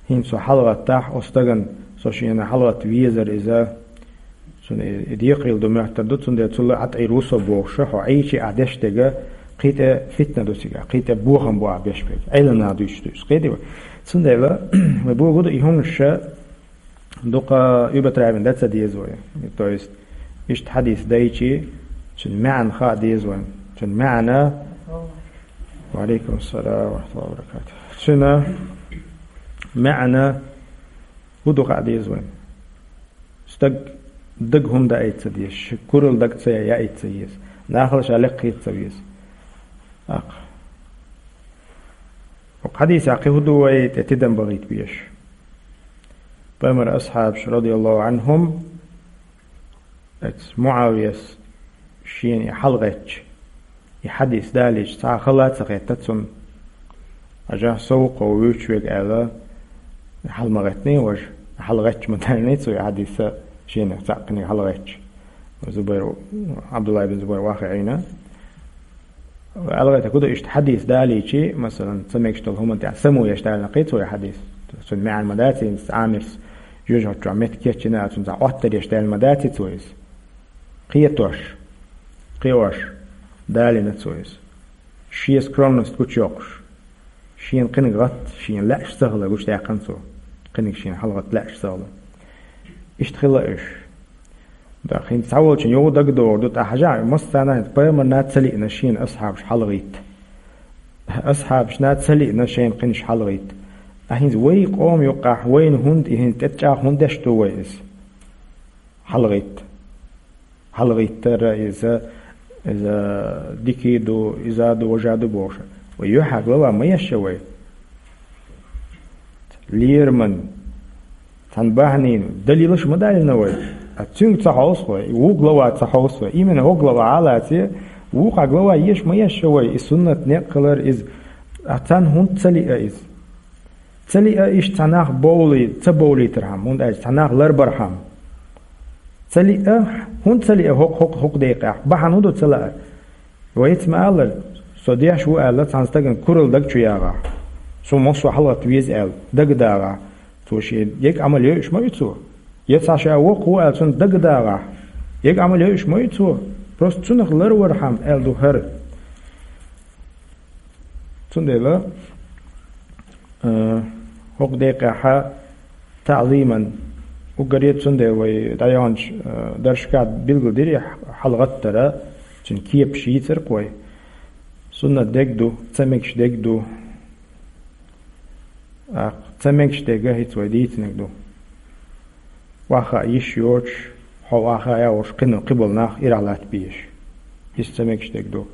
хӀинца со хьалагӀаттахь, оцу стагана со шена хьалагӀатта везара иза, цунна и, и декхарийлахь ду моьттур ду, цундела цул а ӀатӀийр ву со бохуш, хьо Ӏийча ахь деш дерг, кхин тӀе фитна ду цигахь, кхин тӀе бохам бу ахь беш берг, Ӏелам наха дуьйцуш ду иза, кхетий вай. Цундела, вай бохург ду и хӀуманаш, дукха употребить дан ца деза вай. То есть, иштта хьадис дайчи, цуьнан маьӀна хаа деза вайна. Цуьнан маьӀна, ва Ӏалайкум ассалам ва рахьматуллахӀи ва баракатухӀ. Цуьнан маьӀна хӀун ду хаа деза вайна. Стаг дага хӀума даийта ца деза, ши куралла дага ца яийта ца еза, нахала ша лекха хета ца веза. ТӀаккха. ХӀокху хьадисехь кхин хӀун ду вай тӀе тидам бахийта безаш? Пайхамаран асхьабаш, радияллаху Ӏанхум, оцу МуӀавияс шена и хьалагӀеттача, и хьадис далийча, цхьа а хала а ца хетта цунна. Хьажахь, со ву-кх хьо вуьйцуш верг аьлла, хьала ма гӀеттиний важа, хьалагӀеттача ма далийний цо и хьадис, шена цхьаъ кхиниг хьалагӀеттача. Зубайр, Ӏабдулла ибн Зубайр охьахиъна. АлгӀайтарг хӀун ду, иштта хьадис далийчи, масалан, ца мегаш долу хӀуманна тӀехь самуеш далийна-кх цо и хьадис. Цуьнан маьӀна ма дац, хӀинца Ӏамирс жоьжахати чохь меттиг кечйина, цунна цхьа Ӏоттар еш далийна ма дац цо иза. Кхетош, кхиош далийна цо иза. Шен скромность гучуйоккхуш, шена кхиниг гӀатта шена лаьаш ца хилар гучудаьккхина цо. Кхиниг шена хьалагӀатта лаьаш ца хилар. Иштта хилла уьш. Да, хӀинца цхьаволчун юха дагадогӀур ду, тӀаккха хьажахь, массарна а пайхамарна ца лиъна шена асхьабаш хьалагӀитта. Асхьабашна ца лиъна шайна кхинаш хьалагӀитта. Ткъа хӀинца вай къоман юккъехь вайна хӀунда и хӀинца тӀе чӀагӀ хӀунда деш ду вай иза? ХьалагӀитта. ХьалагӀиттара иза, иза дика ду, иза ду, важа ду бохуш. Вай юьхьа глава ма еш вай. Лераман, цхьана бахьанийн далилаш ма далийна вай. А цуьнга ца хьовса вай, ву глава ца хьовса вай. Именно хӀокху глава а лаций, Вукху глава еш ма еш вай, и суннат некъ хилар иза, а царна хӀунда ца лиъа иза? Ца лиъа иштта цхьа нах бовлий-, ца бовлийтархьама, хӀунда аьлча цхьа нах ларбархьама. Ца лиъа, хӀунда ца лиъа хӀокху, хӀокху, хӀокху декъехь? Бахьана хӀун ду ца лаар? Вайца ма аллара, со деш ву аьлла, цхьана стагана куралла даг чу ягӀахь. Цо массо а хьалагӀатта веза аьлла, дагадагӀахь. Цо шен ега Ӏамал йойуш ма ю цо. Я цхьа ша воккха ву аьлла, цунна дагадагӀахь. Ега Ӏамал йойуш ма ю цо. Просто цунах ларвархьама аьлла ду хӀара. Цундела, э, хӀокху декъехьа таӀзиман уггаре, цундела вай дӀайоьгӀначу, э, даршка билгалдира и хьалагӀаттара, цуьнан кепаш йийцира-кх вай. Суннат дерг ду, ца мегаш дерг ду. ТӀаккха ца мегаш дерг хӀинца вай дийцинарг ду. Ваха йиш йоцуш, хьо ваха а волуш, кхин кхиболу нах ирахь латта безаш. Иза ца мегаш дерг ду.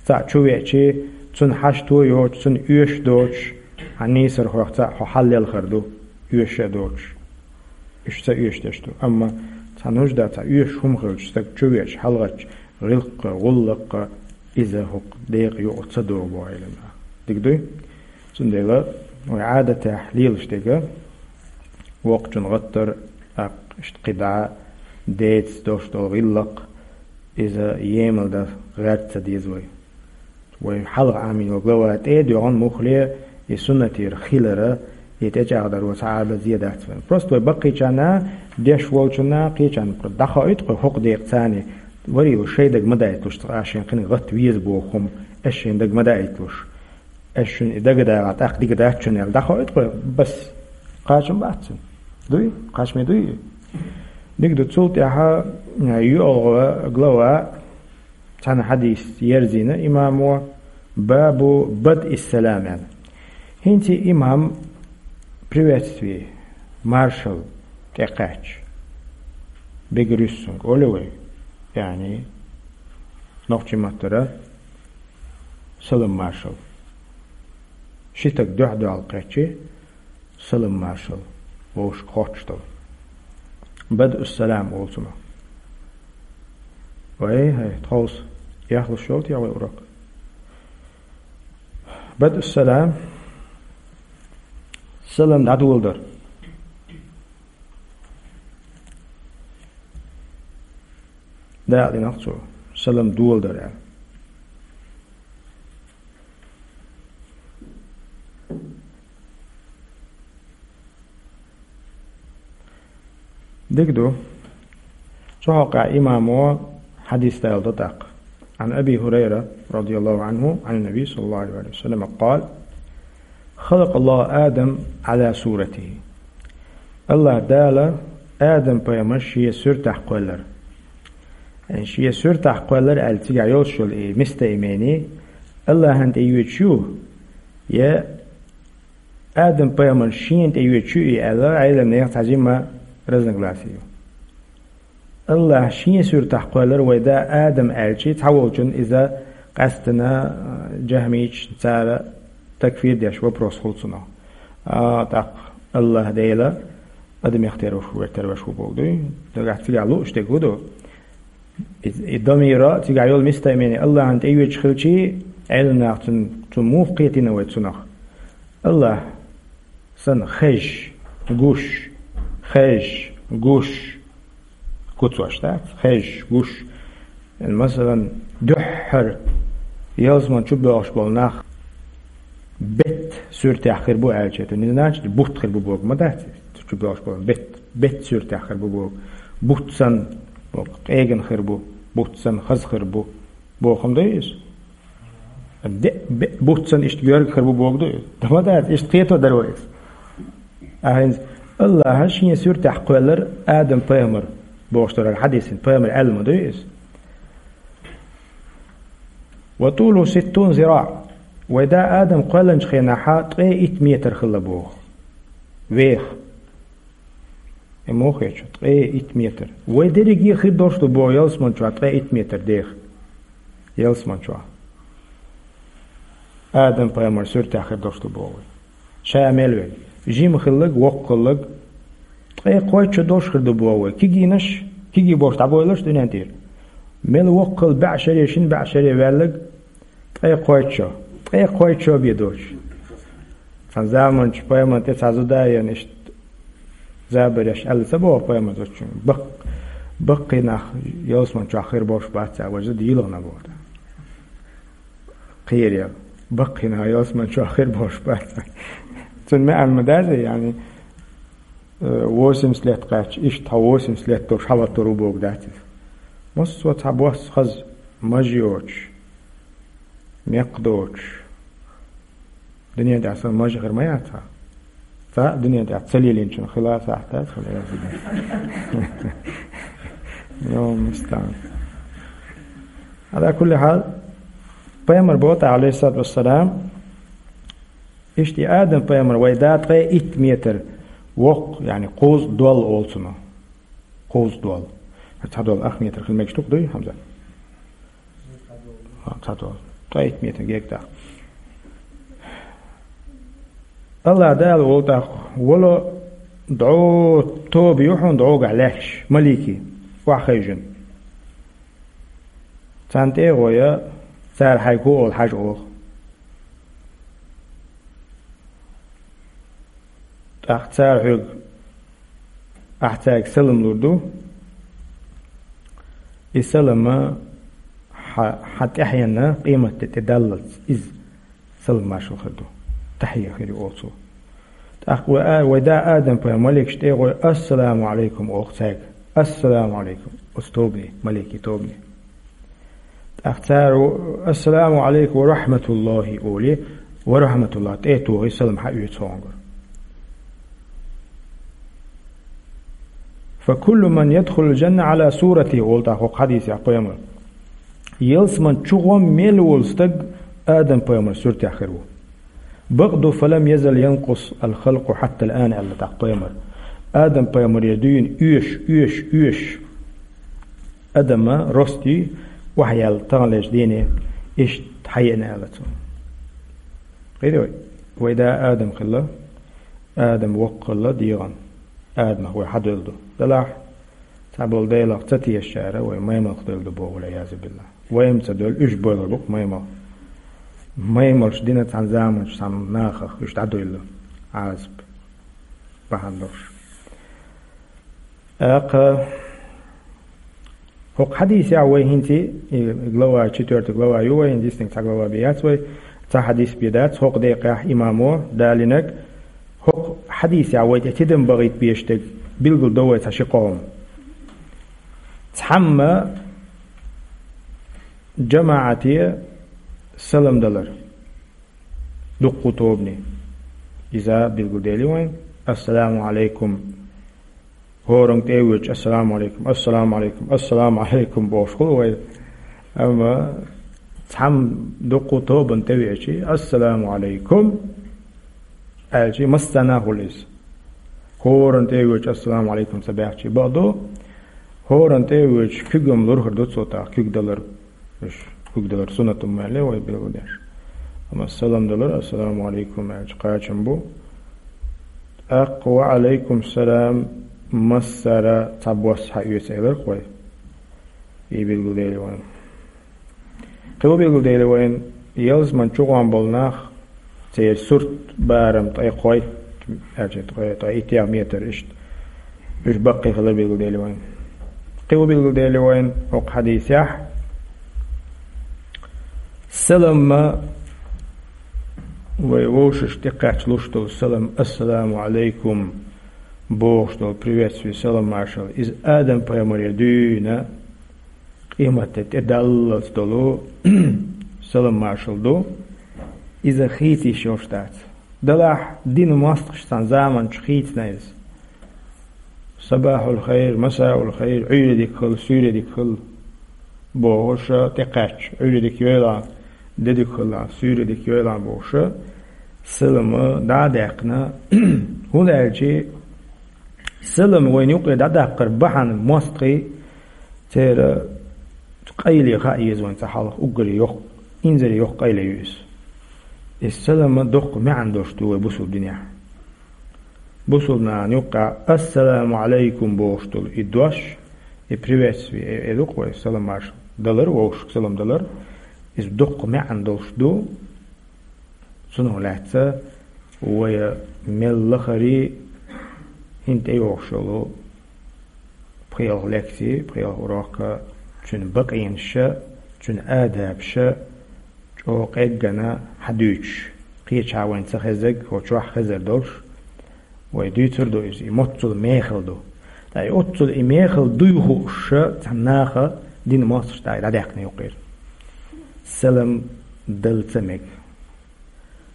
Цхьаъ чу веачи, цунна хьашто а йоцуш, цунна оьшуш а доцуш, хьан нийсархойх цхьаъ хьо хьаллелхар ду, оьшуш а доцуш. Уьш ца оьшуш дерш ду. Амма цхьа нужда, цхьа оьшуш хӀума хилча, стаг чу веача, хьалагӀаттача, гӀиллакх а, гӀуллакх а, иза хӀокху декъа юкъа ца догӀу боху Ӏеламнаха. Дика дуй? Цундела вай Ӏадатехь лелаш дерг, воккхачун гӀаттар, тӀаккха иштта кхидӀа, деца долуш долу гӀиллакх, иза емал дан гӀерта ца деза вай. Вай хьалха Ӏамийна йолу глава тӀе а доьгӀна муххале, и суннатера хилара, и тӀечӀагӀдаро цхьа а дан зе дац вайн. Просто вай баккхийчарна деш волчунна кхечарна дӀахоуьйту кху хӀокху декъа царна, вари ву шайн дага ма дайталуш, цкъа а шайн кхин гӀатта веза боху хӀума, аш шайн дага ма дайталуш. Аш шуна и дага дагӀахь, тӀаккха дика дац шуна аьлла, дӀахоуьйту кху бас. Кхачам бац цуьнан. Дуй? Кхачаме дуй? Дика ду, цул тӀаьхьа, а, йоьалгӀа глава, цхьана хьадис ерзийна имамо, бабу бадъис салам аьлла. ХӀинца имам приветствие, маршал тӀекхаьчча, бегрюссунг олу вай, яъни, нохчийн маттара салам маршал. Ши стаг дуьхь-дуьхьал кхаьччи, салам маршал вовшашка хоттуш долу. Бадъуссалам олу цунах. Вай, хӀай, тховса яхлуш йолу те вай урок? Бадъуссалам, салам дӀадоладар. Дакъа динарг цо, салам доладар аьлла. Дика ду. Цу хьокъехь имамо хьадис даладо тӀаккха. عن أبي هريرة رضي الله عنه عن النبي صلى الله عليه وسلم قال: خلق الله آدم على صورته. АллахӀ Дала Адам-пайхамар шен суьртахь кхоьллира. Шен суьртахь кхоьллира аьлла цигахь йолуш йолу и местоимени АллахӀан тӀе йоьдуш ю, я Адам-пайхамар шена тӀе йоьдуш ю и аьлла, Ӏеламнехан цхьа жимма разногласи ю. АллахӀа шен суьртахь кхоьллира вай да Адам аьлчи, цхьаволчун иза къаьстина, а, жахмийча цара такфир деш вопрос хуьлу цунах. А, тӀаккха АллахӀ Дела адамех тера ву, вер тера веш ву боху дуй. Нагахь цигахь лууш дерг хӀун ду? И, и домира цигахь йолу местоимени АллахӀан тӀе йоьдуш хилчи, Ӏеламнаха цун, цун муха кхетийна вай цунах? АллахӀ санна хезаш, гуш, хезаш, гуш, куцош дац, хезаш, гуш. Масалан, дуьххьара ялсаман чу боьлхуш болу нах бетта суьртехь хир бу аьлча, это не значит, бутт хир бу боху ма дац, чу боьлхуш болу бетта, бетта суьртехь хир бу боху. Бутт санна, боху, къегина хир бу, бутт санна хаза хир бу. Бохам ду иза? Де, бе, бутт санна иштта гӀоьрга хир бу боху ду иза? Да ма дац, иштта кхето дара вай иза. А хӀинца АллахӀа шен суьртехь кхоьллира Адам-пайхамар бохуш дара хьадисин, пайхамар аьлла ма ду иза? وطوله ستون ذراع. Вай да Адам кхоьллинчу хенахьа ткъе итт метр хилла боху. Веха. И муха хеташ, ткъе итт метр. Вай дерриге хир долуш ду боху ялсаман чохь ткъе итт метр деха. Ялсаман чохь. Адам-пайхамар суьртехь хир долуш ду боху вай. Ша мел верг. Жима хилларг, воккха хилларг. Ткъе кхойтта шо долуш хир ду боху вай. Кегийнаш, кегий болуш дӀабойлаш дуьнен тӀера. Мел воккхал баьӀ шаре, шин баьӀ шаре ваьллаг ткъе кхойтта шо. Ткъе кхойтта шо бе доцуш. Цхьана заманчу пайхамар тӀе цхьа зуда а ян иштта забареш аьлла ца боху пайхамар зудчуьнга. Баккхий нах ялсаман чохь хир болуш бац а, вай зуда йилхина боху. Кхерел. Баккхий нах ялсаман чохь хир болуш бац. Цуьнан маьӀна ма дац, яъни, э, восемьдесят лет кхаьчча, иштта хьо восемьдесят лет долуш хьалаттор ву боху дац иза. Массо а цхьа босса хаза маж йоцуш, мекх доцуш. Дуьнен тӀехь сан маж хир ма яц хьан. Цхьа а дуьнен тӀехь ца лелийначун хила сахьт дац хьуна, я зуда. Йо, мустан. Ала кулли хьал, пайхамар боху тӀаккха, алейхиссалату вассалам, иштта и Адам пайхамар вай да ткъе итт метр воккха, яъни кхузткъа дол олу цунах. Кхузткъа дол. Цхьа дол ах метр хила мегаш ду-кх, дуй, Хьамза? Ха, цхьа дол. Ткъе итт метр гектар. Аллах Дала волу тӀаккха, вала дӀо тоба ю хьуна дӀогахь лаьтташ, малики, охьахевшина. Царна тӀе а гӀой, цара хьайга хӀу олу хьажа олу. ТӀаккха цара хьоьга, ахь цаьрга салам лур ду. И салам хьан, хьан тӀаьхьенна къематде тӀедаллалц иза салам маршалла хир ду. Тахьия хир ю олу цо. ТӀаккха вай а-, вай да Адам пайхамар маликаш тӀе а гӀой, ассаламу алейкум олу цаьрга. Ассаламу алейкум. Оцу тобане, малики тобане. ТӀаккха цара, ассаламу алейкум ва рахматуллахи олий, ва рахматуллах тӀе а тухий, салам хьаоьцу хьунгара. Фа куллу ман ядхулул джанна ала сурати, олу тӀаккха хӀокху хьадисехь пайхамар. Ялсаман чу гӀо мел волу стаг Адам пайхамар суьртехь хир ву. Бакъду, фалам язал янкъус ал-халкъу хьатта ал-ан, аьлла тӀаккха пайхамар. Адам пайхамарера дуьйна оьшуш, оьшуш, оьшуш. Адама рости охьаяьлла таханлерчу дийне иштта хьаеана аьлла цо. Кхийтий вай? Вай да Адам хилла, Адам воккха хилла дегӀан. Адамах вай хьадевлла ду. Делахь, цхьаболу Делах ца тешачара вай маймалх девлла ду боху, валъиязу биллахь. Вай-м ца девлла, уьш бойлур бу-кх маймалх. Маймалш дина цхьана заманчу цхьана нахах уьш дӀадуьйлла. Ӏазап бахьана долуш. ТӀаккха хӀокху хьадисехь вай хӀинца, и глава, четвёртая глава ю вай, хӀинца диснарг цхьа глава бен яц вай, цхьа хьадис бен дац, хӀокху декъехь имамо далинарг, хӀокху хьадисехь вай тӀе тидам бахийта безаш дерг билгал до вай цхьа ши къоман. Цхьамма жамаӀате салам далар. Дуккха тобане. Иза билгалдели вайн. Ассаламу алейкум. ХӀоранга тӀе а воьдуш, ассаламу алейкум, ассаламу алейкум, ассаламу алейкум бохуш хуьлу вай. Амма цхьамма дуккха тобанна тӀе веачи, ассаламу алейкум аьлчи, массарна а хуьлу иза. ХӀоранна тӀе а воьдуш, ассаламу алейкум ца баьхчи, бакъду, хӀоранна тӀе а воьдуш, куьг-м лур хир ду цо тӀаккха, куьг далар. Уьш куьг далар суннат ма аьллий вай билгалдеш. Амма салам далар, ассаламу алейкум аьлча, кхачам бу. ТӀаккха ва алейкум салам массара цхьа бос хьаоьцу элира-кх вай. И билгалдели вайн. Кхин а билгалдели вайн, ялсаман чу гӀур болу нах, церан сурт барам ткъе кхойтта, аьлча ткъе, ткъе иттех метр иштта. Уьш баккхий хила билгалдели вайн. Кхин а билгалдели вайн хӀокху хьадисехь. Саламма вай вовшашна тӀекхача луш долу салам, ассаламу алейкум бохуш долу приветствие, салам маршалла. Иза Адам пайхамарера дуьйна къематде тӀедаллалц долу салам маршалла ду, иза хийца йиш йолуш дац. Делахь динан мостагӀаша цхьана заманчу хийцина иза. Сабахьул хайр, масаул хайр, Ӏуьйре дика хила, суьйре дика хила бохуша тӀекхаьчча, Ӏуьйре дика йойла, де дика хила, суьйре дика йойла бохуша, салама дӀа а даьккхина, хӀунда аьлча салам вайна юкъе дӀадаккхар бахьана мостагӀий, церан къайле хаа еза вайн цхьа хьалха уггаре йоккха, инзаре йоккха къайле ю иза. И салама доккха маьӀна долуш ду вай бусулба динехь. Бусулба нахана юккъехь «Ассаламу алейкум» бохуш долу и дош, и приветствие, и, и ду-кх вай салам маршалла. далар, вовшашка салам далар, иза доккха маьӀна долуш ду. Цунах лаьцна вай мел лахара хӀинца тӀейогӀуш йолу пхи-ялх лекци, пхи-ялх урок, цуьнан бакъонаш, цуьнан адабаш чӀогӀа къеггина хьадуьйцуш, кхечахьа вайна ца хезнарг, хӀокху чохь хезар долуш, вай дуьйцур ду иза, и моццул мехала ду. Ткъа и оццул и мехала дуй хууш цхьана наха динан мостагӀаша дӀа-, дӀадаьккхина юкъара. Салам дала ца мега.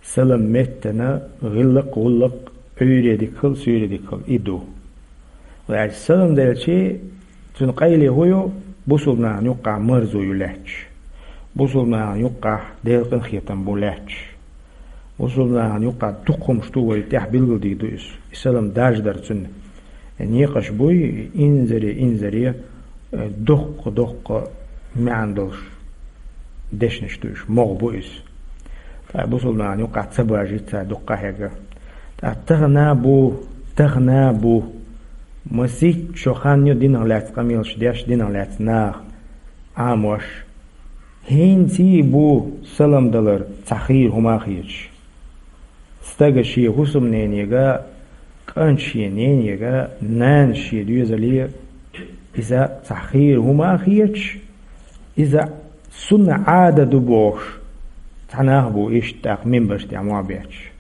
Салам меттана гӀиллакх-гӀуллакх, Ӏуьйре дика хила, суьйре дика хила, и ду. Вай аьлча, салам делчи, цуьнан къайле хӀун ю? Бусулба нахана юккъахь марзо ю лаьтташ. Бусулба нахана юккъахь Делан къинхетам бу лаьтташ. Бусулба нахана юккъахь дукха хӀумаш ду, вай тӀехь билгалдийр ду иза. И салам даржадар цуьнан. Э, некъаш буй, инзаре, инзаре, э, доккха-доккха маьӀна долуш дешнаш ду уьш, могӀа бу иза. Ткъа бусулба нахана юккъахь ца бажийта цара дуккха хьегна. Ткъа тахана бу, тахана бу, масийтта шо хан ю динах лаьцна къамелаш деш, динах лаьцна наха Ӏамош. ХӀинца а бу салам далар цхьа хийра хӀума а хеташ. Стага шен хӀусамненега, кӀанта шен ненега, нанас шен доьзале иза цхьа хийра хӀума а хеташ, иза сунна Ӏадат ду бохуш, цхьа нах бу иштта тӀаккха минбарш тӀехь мохь бетташ.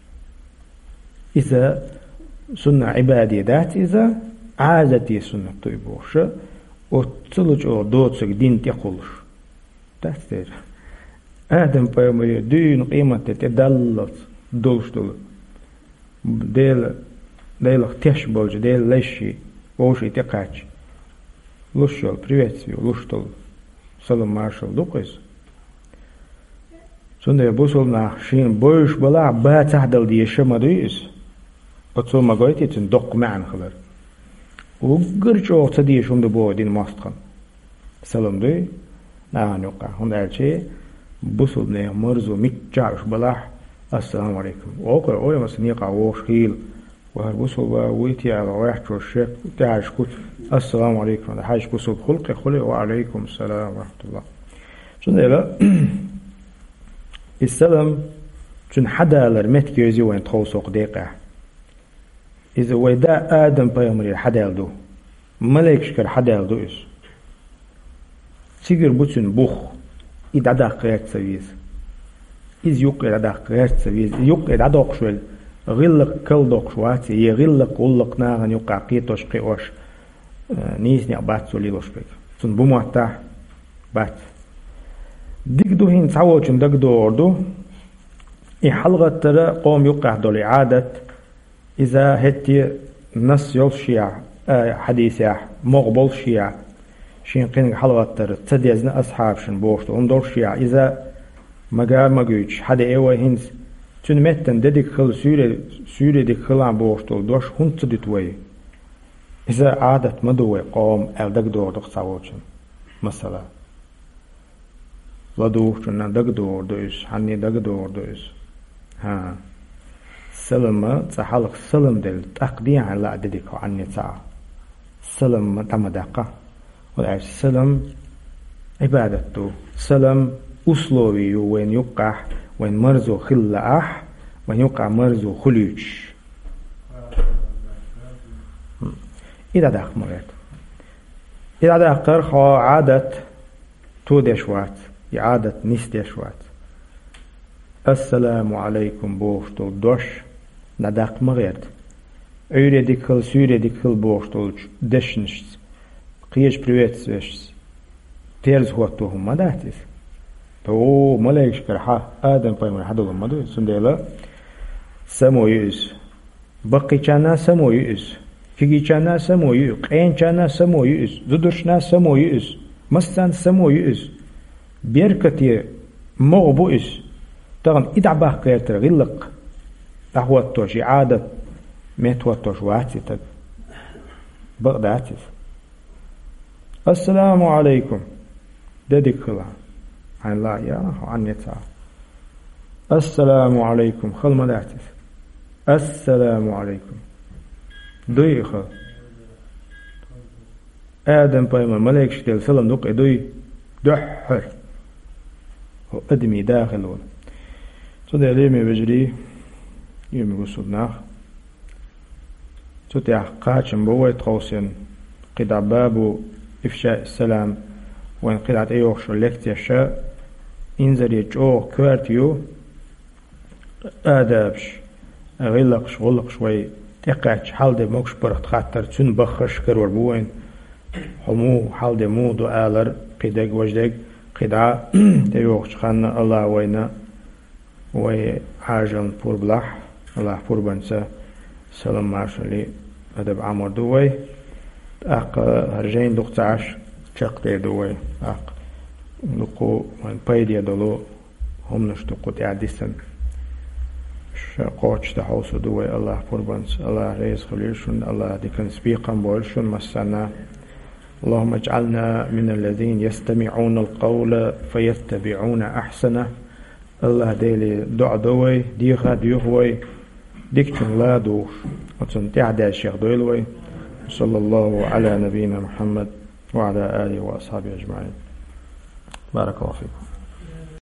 Иза сунна Ӏибадат дац иза, Ӏадате суннат ду и бохуша, оццул чӀогӀа доцург дин тӀекхуллуш. Дац дера. Адам-пайхамаре дуьйна къематде тӀе даллалц долуш долу. Дела, Делах теш болчу Делан лайши вовшийн тӀекхаьчча, луш йолу приветствие, луш долу салам-маршалла ду-кх иза. Цундела бусулба нах шена бевзаш балахь, бацахь а дала дезаш ма дуй иза. Оцо ма гойтий цуьнан доккха маьӀна хилар. Уггар чӀогӀа ца дезаш хӀума ду боху динан мостагӀна. Салам дуй нахана юккъахь, хӀунда аьлча бусулба нехан марзо миччахь уьш балахь, ассаламу алейкум. Окхура ойла аса некъахь вогӀуш хийла. Ва хӀара бусулба вуй те аьлла, гӀоьртачо шек тӀаьхьарш кучу, ассаламу алейкум, хьаьжча бусулба хуьлу-кх, хуьлу, ва алейкум салам ва рахматуллах. Цундела и салам, цуьнан хьадалар меттиг йовзий вайна тховса хӀокху декъехь. Иза вай да Адам-пайхамарера хьадаьлла ду. Малайкашкара хьадаьлла ду иза. Цигара бу цуьнан бух, и дӀадаккха гӀерта ца веза. Иза юккъе дӀадаккха гӀерта ца веза. И юккъе дӀадоккхуш велла, гӀиллакх калдоккхуш вац, я гӀиллакх-гӀуллакх нахана юккъахь кхетош-кхиош, э, нийса некъ бац цо лелош берг. Цунна бу моттахь, бац. Дика ду хӀинца цхьаволчун дагадогӀур ду. И хьалагӀаттара къоман юккъехь долу и Ӏадат, иза хӀетте а насс йолушехь, а, хьадисехь, могӀа болушехь, шен кхиниг хьалагӀаттар ца дезна асхьабашна бохуш долу хӀума долушехь, иза мага а ма гуьйтуш, хьадеа вай хӀинца, цуьнан меттана де дика хила, суьйре, суьйре дика хилахь бохуш долу дош хӀунда ца дуьту вай? Иза Ӏадат ма ду вай къоман аьлла дагадогӀур ду-кх цхьаволчун. Масала. ЛадугӀучунна дагадогӀур ду иза, хьанне дагадогӀур ду иза. ХӀан. Салама, цкъа хьалха салам делла, тӀаккха дехьа лаа де дика хьо хьанне ца Ӏа. Салам ма дӀа ма даккха. ХӀунда аьлча салам Ӏибадат ду. Салам условие ю вайна юккъахь, вайн марзо хилла лаахь, вайн юккъахь марзо хуьлуьйтуш. И дӀадаккха ма гӀерта. И дӀадаккхар хьо Ӏадат тодеш вац, и Ӏадат нисдеш вац. Ассаламу алайкум бохуш долу дош дӀадаккха ма гӀерта. Ӏуьйре дика хила, суьйре дика хила бохуш долчу дешнашца, кхечу приветствиешца терза хӀотто хӀума ма дац иза. Тхо малайкашкара хьан Адам-пайхамар хьан долу ма ду иза. Цундела само ю иза. Баккхийчарна само ю иза, кегийчарна само ю иза, къеначарна само ю иза, зударшна само ю иза, массарна само ю иза. Беркате могӀа бу иза. Тахана и дӀабаккха гӀертара гӀиллакх дӀахӀоттош, и Ӏадат меттахӀоттош вац и таг. Бакъ дац иза. Ассаламу алайкум. Де дика хила. Хьайн ла я, хьо Ӏанне ца. Ассаламу алайкум. Хала ма дац иза. Ассаламу алайкум. Дуй и хала. Адам пайхамар малайкашка делла салам ду-кх и, дуй? дуьххьара хӀу адамий да хила волу. Цундела, лераме вежарий, лераме бусулба нах, цу тӀехь кхачам бу вай тховсийна, кхидӀа бабу ифшаъ салам, вайн кхидӀа тӀейогӀуш йолу лекцеш а инзаре чӀогӀа коьрта ю, адабаш, гӀиллакхаш, гӀуллакхаш вай тӀекхаьчча хьал де могуш барх хаттар, цуьнан баххаш карор бу вайн. Хьо муха хьал де муха ду алар, кхидерг, важдерг, кхидӀа тӀейогӀучу ханна Аллах вайна вай хьажална пурба лахь, Аллах пурбанца салам-маршалла, адаб Ӏамор ду вай. ТӀаккха хӀара жайна дукха ца Ӏаш чекхдер ду вай. ТӀаккха дукха вайн пайде долу хӀуманаш ду кху тӀехь дисина. Ша кхочушдан хьовсур ду вай Аллах пурбанца. Аллах реза хуьлийла шуна, Аллах диканца бекхам бойла шуна массарна. اللهم اجعلنا من الذين يستمعون القول فيتبعون أحسنه. Аллах Деле доӀа до вай, деха а доьху вай, дикачун ла а духуш, оцунна тӀаьхьадаьржа дойла вай. صلى الله على نبينا محمد وعلى آله وأصحابه أجمعين. بارك الله فيكم.